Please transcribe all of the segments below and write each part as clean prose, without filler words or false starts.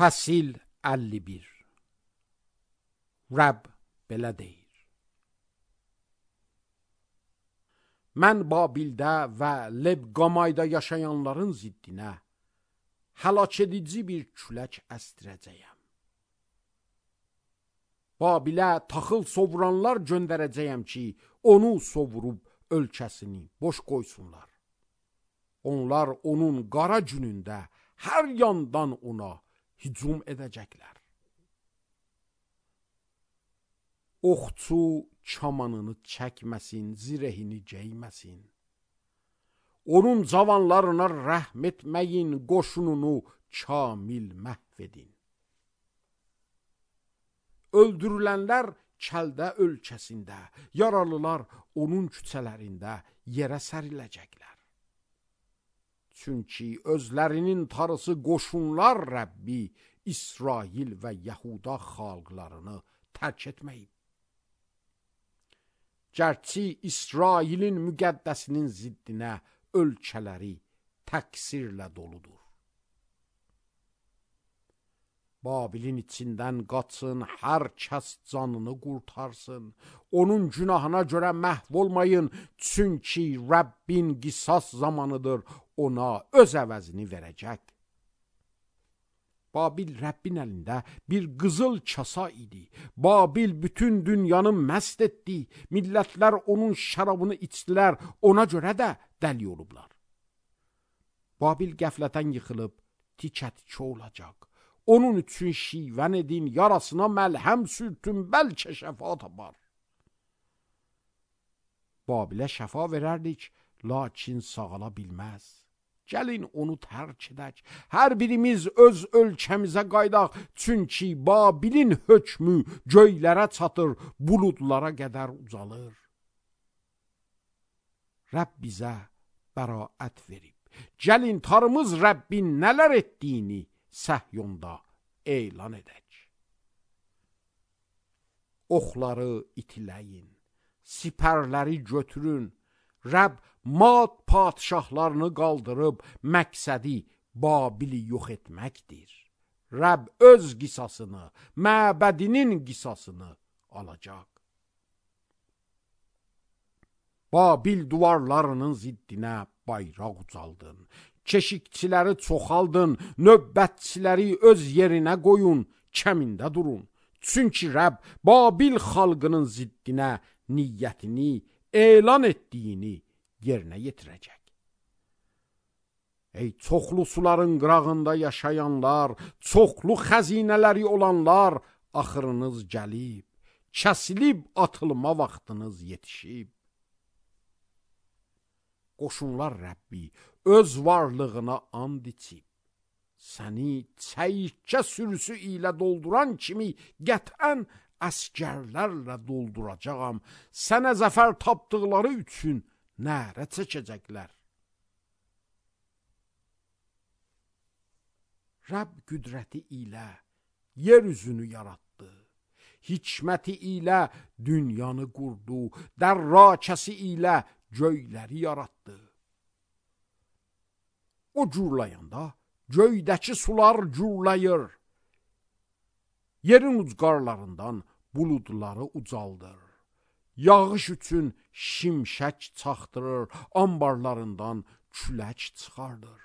Fəsil 51. Rəbb belə deyir: Mən Babildə və Lebqamayda yaşayanların ziddinə həlak edici bir külək əstirəcəyəm. Babilə taxıl sovuranlar göndərəcəyəm ki, onu sovurub ölkəsini boş qoysunlar. Onlar onun qara günündə hər yandan ona hücum edəcəklər. Oxçu kamanını çəkməsin, zirehini geyməsin. Onun cavanlarına rəhm etməyin, qoşununu kamil məhv edin. Öldürülənlər kəldə ölkəsində, yaralılar onun küçələrində yerə səriləcəklər. Çünki özlərinin tarısı qoşunlar Rəbbi, İsrail və Yahuda xalqlarını tərk etməyib. Gərçi İsrailin müqəddəsinin ziddinə ölkələri təqsirlə doludur. Babilin içindən qaçın, hər kəs canını qurtarsın. Onun günahına görə məhv olmayın, çünki Rəbbin qisas zamanıdır, ona öz əvəzini verəcək. Babil Rəbbin əlində bir qızıl kasa idi. Babil bütün dünyanı məst etdi. Millətlər onun şərabını içdilər, ona görə də dəli olublar. Babil qəflətən yıxılıb, tikə-tikə olacaq. Onun üçün şivən edin, yarasına məlhəm sürtün, bəlkə şəfa tapar. Babilə şəfa verərdik, lakin sağala bilməz. Gəlin onu tərk edək, hər birimiz öz ölkəmizə qaydaq, çünki Babilin hökmü göylərə çatır, buludlara qədər ucalır. Rəbb bizə bəraət verib. Gəlin tarımız Rəbbin nələr etdiyini Səhyonda elan edək. Oxları itiləyin, sipərləri götürün. Rəbb Mad padişahlarını qaldırıb, məqsədi Babili yox etməkdir. Rəbb öz qisasını, məbədinin qisasını alacaq. Babil duvarlarının ziddinə bayraq ucaldın. Keşikçiləri çoxaldın, növbətçiləri öz yerinə qoyun, kəmində durun. Çünki Rəbb Babil xalqının ziddinə niyyətini elan etdiyini yerinə yetirəcək. Ey çoxlu suların qırağında yaşayanlar, çoxlu xəzinələri olanlar, axırınız gəlib, kəsilib atılma vaxtınız yetişib. Qoşunlar Rəbbi öz varlığına and içib, səni çəyirtkə sürüsü ilə dolduran kimi qətən əskərlərlə dolduracağam. Sənə zəfər tapdıqları üçün nərə çəkəcəklər. Rəbb qüdrəti ilə yer üzünü yaratdı. Hikməti ilə dünyanı qurdu. Dərrakəsi ilə göyləri yaratdı. O gurlayanda göydəki sular gurlayır. Yerin ucqarlarından buludları ucaldır. Yağış üçün şimşək çaxdırır, ambarlarından külək çıxardır.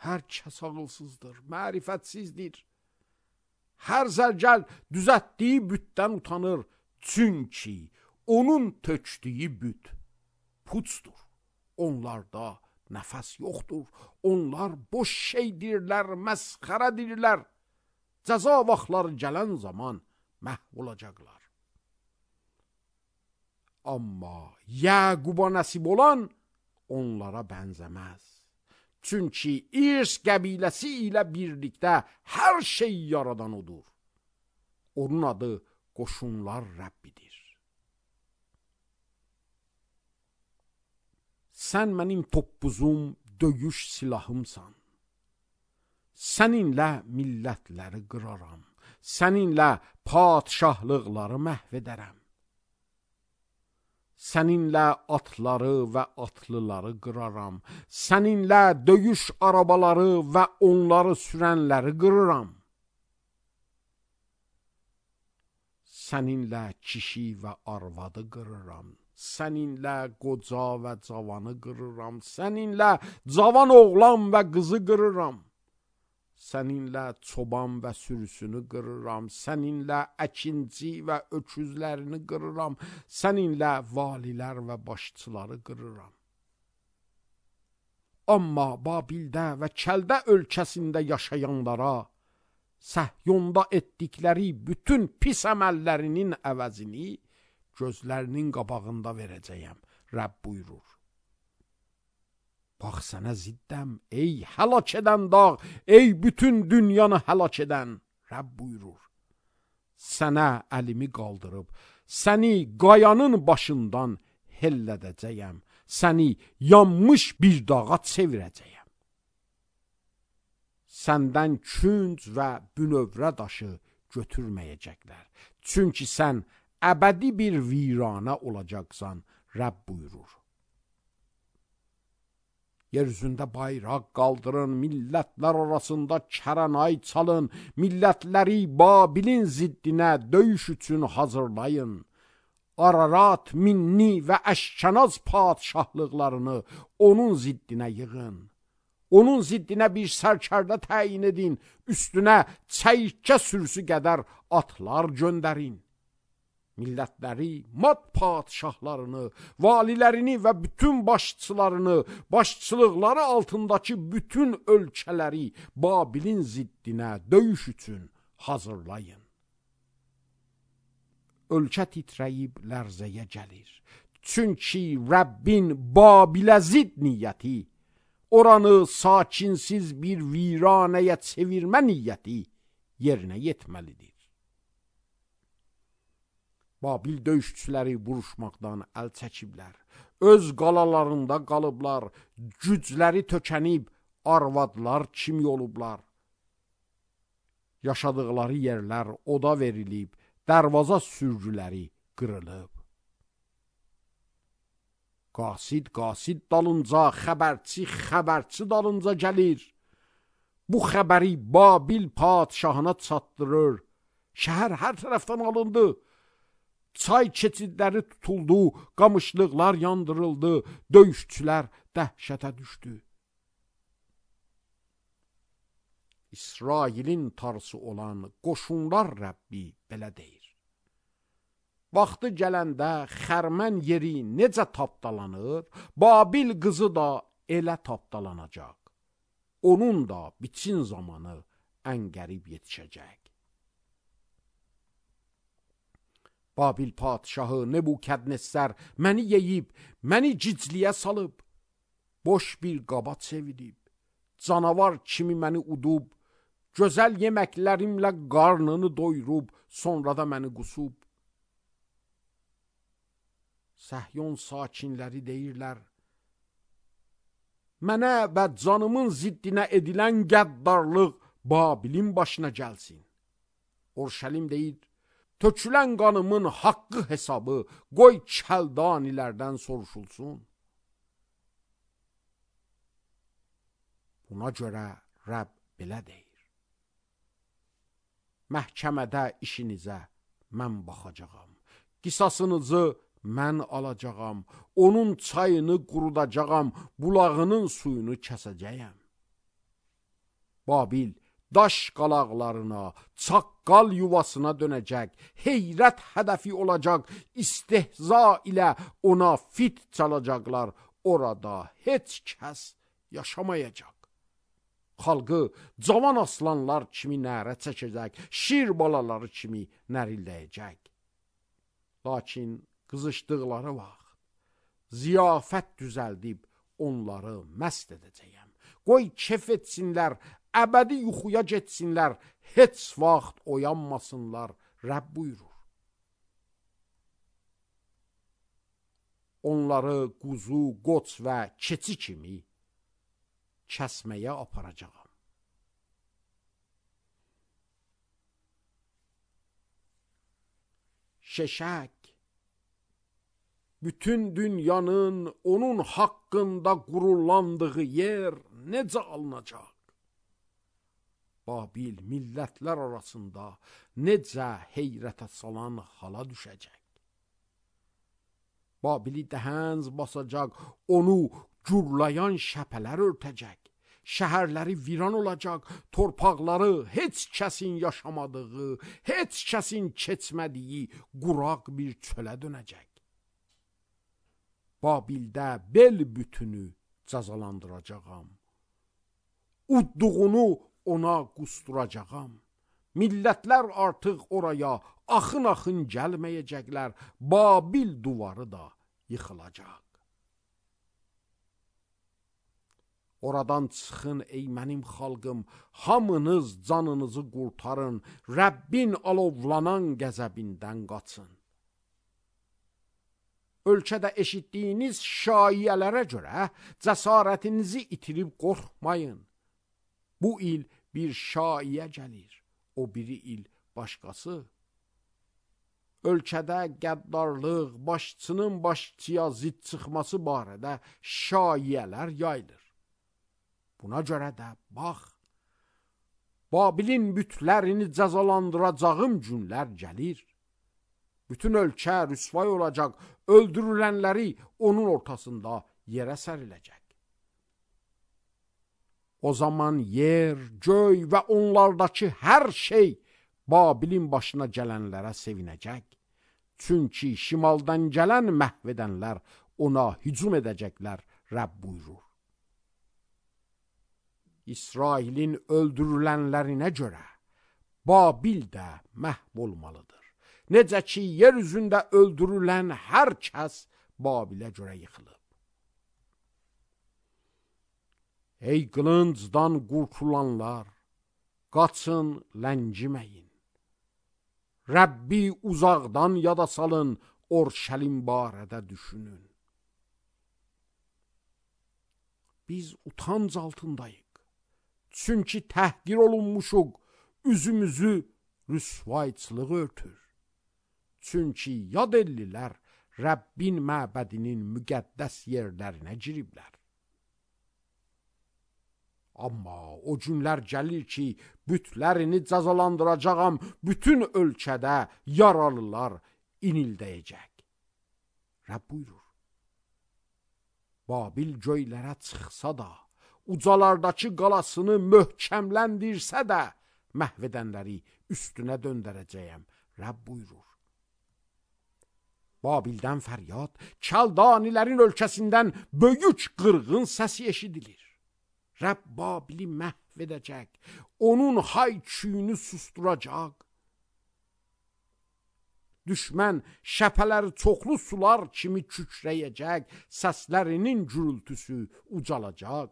Hər kəs ağılsızdır, mərifətsizdir. Hər zərgəl düzətdiyi bütdən utanır, çünki onun tökdüyü büt puçdur. Onlarda nəfəs yoxdur, onlar boş şeydirlər, məsxərədirlər. Cəza vaxtları gələn zaman məhv olacaqlar. Amma Yəquba nəsib olan onlara bənzəməz. Çünki İrs qəbiləsi ilə birlikdə hər şey yaradan odur. Onun adı qoşunlar Rəbbidir. Sən mənim toppuzum, döyüş silahımsan. Səninlə millətləri qıraram. Səninlə padişahlıqları məhv edərəm. Səninlə atları və atlıları qıraram. Səninlə döyüş arabaları və onları sürənləri qırıram. Səninlə kişi və arvadı qırıram. Səninlə qoca və cavanı qırıram. Səninlə cavan oğlan və qızı qırıram. Səninlə çoban və sürüsünü qırıram. Səninlə əkinci və öküzlərini qırıram. Səninlə valilər və başçıları qırıram. Amma Babildə və Kəldə ölkəsində yaşayanlara Səhyonda etdikləri bütün pis əməllərinin əvəzini gözlərinin qabağında verəcəyəm. Rəbb buyurur. Bax sənə ziddəm, ey həlak edən dağ, ey bütün dünyanı həlak edən, Rəbb buyurur. Sənə əlimi qaldırıb, səni qayanın başından hellədəcəyəm, səni yanmış bir dağa çevirəcəyəm. Səndən künc və bünövrə daşı götürməyəcəklər. Çünki sən əbədi bir viranə olacaqsan, Rəbb buyurur. Yeryüzündə bayraq qaldırın, millətlər arasında kəranay çalın, millətləri Babilin ziddinə döyüş üçün hazırlayın. Ararat, Minni və Əşkənaz padşahlıqlarını onun ziddinə yığın. Onun ziddinə bir sərkərdə təyin edin, üstünə çəyirtkə sürüsü qədər atlar göndərin. Millətləri, mat padşahlarını, valilərini və bütün başçılarını, başçılıqları altındakı bütün ölkələri Babilin ziddinə döyüş üçün hazırlayın. Ölkə titrəyib lərzəyə gəlir. Çünki Rəbbin Babilə zidd niyyəti, oranı sakinsiz bir viranəyə çevirmə niyyəti yerinə yetməlidir. Babil döyüşçüləri vuruşmaqdan əl çəkiblər. Öz qalalarında qalıblar, gücləri tökənib, arvadlar kimi olublar. Yaşadıqları yerlər oda verilib, dərvaza sürgüləri qırılıb. Qasid dalınca, xəbərçi dalınca gəlir. Bu xəbəri Babil padşahına çatdırır. Şəhər hər tərəfdən alındı. Çay keçidləri tutuldu, qamışlıqlar yandırıldı, döyüşçülər dəhşətə düşdü. İsrailin tarısı olan qoşunlar Rəbbi belə deyir. Vaxtı gələndə xərmən yeri necə tapdalanır, Babil qızı da elə tapdalanacaq. Onun da biçin zamanı ən qərib yetişəcək. Babil padşahı Nebukadnezar məni yeyib, məni gicliyə salıb, boş bir qaba çevirib, canavar kimi məni udub, gözəl yeməklərimlə qarnını doyurub, sonra da məni qusub. Səhyon sakinləri deyirlər, mənə və canımın ziddinə edilən qəddarlıq Babilin başına gəlsin. Urşəlim deyir, tökülən qanımın haqqı hesabı qoy Kəldanilərdən soruşulsun. Buna görə Rəbb belə deyir. Məhkəmədə işinizə mən baxacağam. Qisasınızı mən alacağam. Onun çayını qurudacağam. Bulağının suyunu kəsəcəyəm. Babil daş qalaqlarına, çaqqal yuvasına dönəcək, heyrət hədəfi olacaq, istehza ilə ona fit çalacaqlar, orada heç kəs yaşamayacaq. Xalqı cavan aslanlar kimi nərə çəkəcək, şir balaları kimi nərildəyəcək. Lakin qızışdıqları vaxt, ziyafət düzəldib onları məst edəcəyəm. Qoy kef etsinlər, əbədi yuxuya getsinlər, heç vaxt oyanmasınlar, Rəbb buyurur. Onları quzu, qoç və keçi kimi kəsməyə aparacağam. Şeşək, bütün dünyanın onun haqqında qururlandığı yer necə alınacaq? Babil millətlər arasında necə heyrətə salan hala düşəcək? Babili dəhənc basacaq, onu gurlayan şəpələr örtəcək. Şəhərləri viran olacaq, torpaqları heç kəsin yaşamadığı, heç kəsin keçmədiyi quraq bir çölə dönəcək. Babildə bel bütünü cəzalandıracağam. Udduğunu ona qusturacağam. Millətlər artıq oraya axın-axın gəlməyəcəklər. Babil duvarı da yıxılacaq. Oradan çıxın ey mənim xalqım, hamınız canınızı qurtarın, Rəbbin alovlanan qəzəbindən qaçın. Ölkədə eşitdiyiniz şaiyələrə görə cəsarətinizi itirib qorxmayın. Bu il bir şaiyə gəlir, o biri il başqası. Ölkədə qəddarlıq, başçının başçıya zid çıxması barədə şaiyələr yayılır. Buna görə də bax, Babilin bütlərini cəzalandıracağım günlər gəlir. Bütün ölkə rüsvay olacaq, öldürülənləri onun ortasında yerə səriləcək. O zaman yer, göy və onlardakı hər şey Babilin başına gələnlərə sevinəcək. Çünki şimaldan gələn məhv edənlər ona hücum edəcəklər, Rəbb buyurur. İsrailin öldürülənlərinə görə Babil də məhv olmalıdır. Necə ki, yer üzündə öldürülən hər kəs Babilə görə yıxılıb. Ey qılıncdan qurtulanlar, qaçın, ləngiməyin. Rəbbi uzaqdan yada salın, Orşəlim barədə düşünün. Biz utanc altındayıq. Çünki təhqir olunmuşuq, üzümüzü rüsvayçılıq örtür. Çünki yad ellilər Rəbbin məbədinin müqəddəs yerlərinə giriblər. Amma o günlər gəlir ki, bütlərini cəzalandıracağam, bütün ölkədə yaralılar inildəyəcək. Rəbb buyurur. Babil göylərə çıxsa da, ucalardakı qalasını möhkəmləndirsə də, məhv edənləri üstünə döndərəcəyəm, Rəbb buyurur. Babildən fəryad, Kəldanilərin ölkəsindən böyük qırğın səsi eşidilir. Rəbb Babili məhv edəcək, onun hay-küyünü susturacaq. Düşmən şəpələri çoxlu sular kimi kükrəyəcək, səslərinin gürültüsü ucalacaq.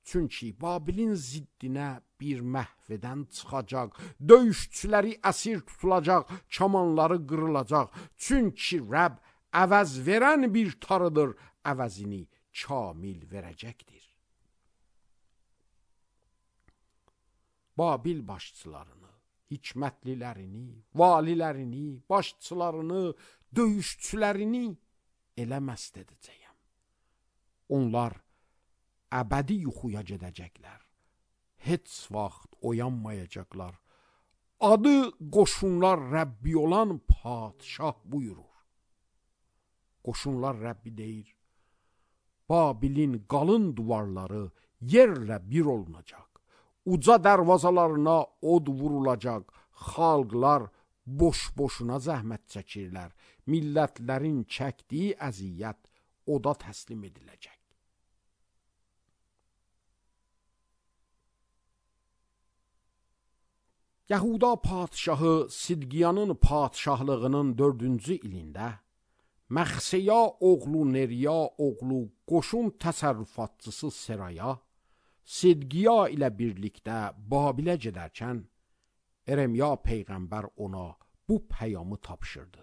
Çünki Babilin ziddinə bir məhv edən çıxacaq, döyüşçüləri əsir tutulacaq, kamanları qırılacaq. Çünki Rəbb əvəz verən bir tarıdır, əvəzini kamil verəcəkdir. Babil başçılarını, hikmətlilərini, valilərini, başçılarını, döyüşçülərini elə məst edəcəyəm. Onlar əbədi yuxuya gedəcəklər. Heç vaxt oyanmayacaqlar. Adı qoşunlar Rəbbi olan padşah buyurur. Qoşunlar Rəbbi deyir. Babilin qalın duvarları yerlə bir olunacaq. Uca dərvazalarına od vurulacaq. Xalqlar boş-boşuna zəhmət çəkirlər. Millətlərin çəkdiyi əziyyət oda təslim ediləcək. Yahuda padşahı Sidqiyanın padşahlığının 4-cü ilində Məxseya oğlu Neriya oğlu qoşun təsərrüfatçısı Seraya Sidqiya ilə birlikdə Babilə gedərkən Eremya peyğəmbər ona bu peyamı tapşırdı.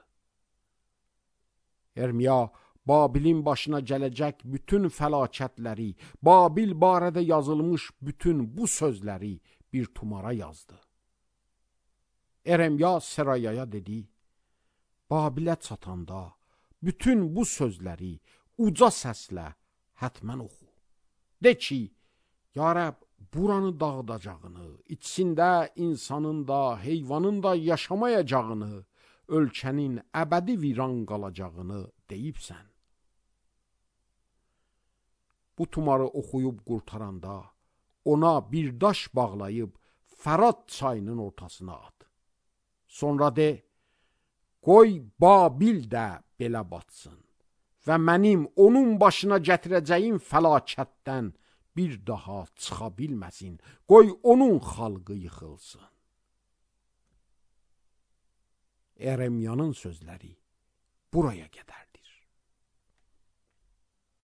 Eremya Babilin başına gələcək bütün fəlakətləri, Babil barədə yazılmış bütün bu sözləri bir tumara yazdı. Eremya Serayaya dedi, Babilə çatanda bütün bu sözləri uca səslə hətmən oxu. De ki, ya Rəbb, buranı dağıdacağını, içində insanın da, heyvanın da yaşamayacağını, ölkənin əbədi viran qalacağını deyibsən. Bu tumarı oxuyub qurtaranda, ona bir daş bağlayıb Fərat çayının ortasına at. Sonra de, qoy Babil də belə batsın və mənim onun başına gətirəcəyim fəlakətdən bir daha çıxa bilməsin. Qoy onun xalqı yıxılsın. Eremyanın sözləri buraya qədərdir.